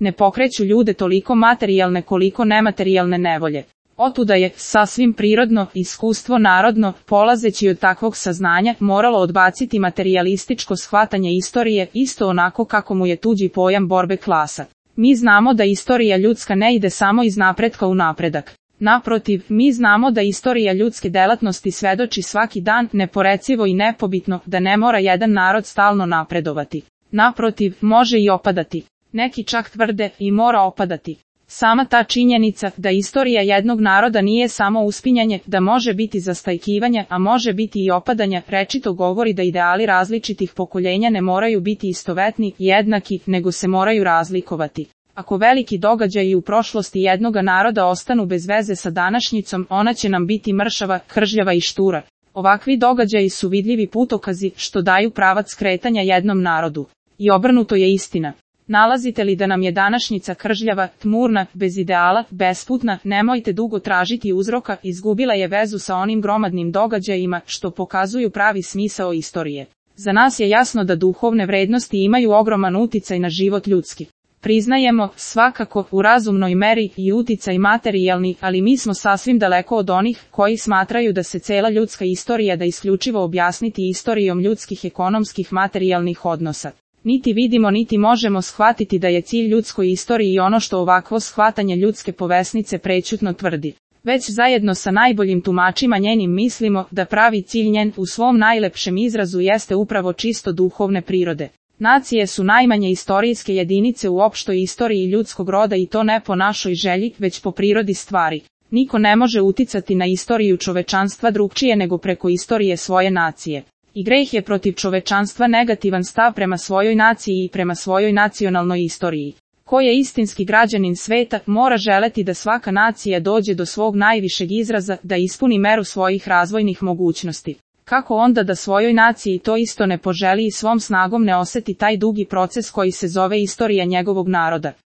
ne pokreću ljude toliko materijalne koliko nematerijalne nevolje. Otuda je, sasvim prirodno, iskustvo narodno, polazeći od takvog saznanja, moralo odbaciti materijalističko shvatanje istorije, isto onako kako mu je tuđi pojam borbe klasa. Mi znamo da istorija ljudska ne ide samo iz napretka u napredak. Naprotiv, mi znamo da istorija ljudske delatnosti svedoči svaki dan, neporecivo i nepobitno, da ne mora jedan narod stalno napredovati. Naprotiv, može i opadati. Neki čak tvrde, i mora opadati. Sama ta činjenica, da istorija jednog naroda nije samo uspinjanje, da može biti zastajkivanje, a može biti i opadanja, rečito govori da ideali različitih pokoljenja ne moraju biti istovetni, jednaki, nego se moraju razlikovati. Ako veliki događaji u prošlosti jednoga naroda ostanu bez veze sa današnjicom, ona će nam biti mršava, kržljava i štura. Ovakvi događaji su vidljivi putokazi, što daju pravac kretanja jednom narodu. I obrnuto je istina. Nalazite li da nam je današnjica kržljava, tmurna, bez ideala, besputna, nemojte dugo tražiti uzroka, izgubila je vezu sa onim gromadnim događajima, što pokazuju pravi smisao istorije. Za nas je jasno da duhovne vrednosti imaju ogroman uticaj na život ljudski. Priznajemo, svakako, u razumnoj meri i uticaj materijalni, ali mi smo sasvim daleko od onih koji smatraju da se cela ljudska istorija da isključivo objasniti istorijom ljudskih ekonomskih materijalnih odnosa. Niti vidimo niti možemo shvatiti da je cilj ljudskoj istoriji ono što ovakvo shvatanje ljudske povesnice prećutno tvrdi. Već zajedno sa najboljim tumačima njenim mislimo da pravi cilj njen u svom najlepšem izrazu jeste upravo čisto duhovne prirode. Nacije su najmanje istorijske jedinice u opštoj istoriji ljudskog roda i to ne po našoj želji, već po prirodi stvari. Niko ne može uticati na istoriju čovečanstva drugčije nego preko istorije svoje nacije. I greh je protiv čovečanstva negativan stav prema svojoj naciji i prema svojoj nacionalnoj istoriji. Ko je istinski građanin sveta, mora želeti da svaka nacija dođe do svog najvišeg izraza, da ispuni meru svojih razvojnih mogućnosti. Kako onda da svojoj naciji to isto ne poželi i svom snagom ne oseti taj dugi proces koji se zove istorija njegovog naroda?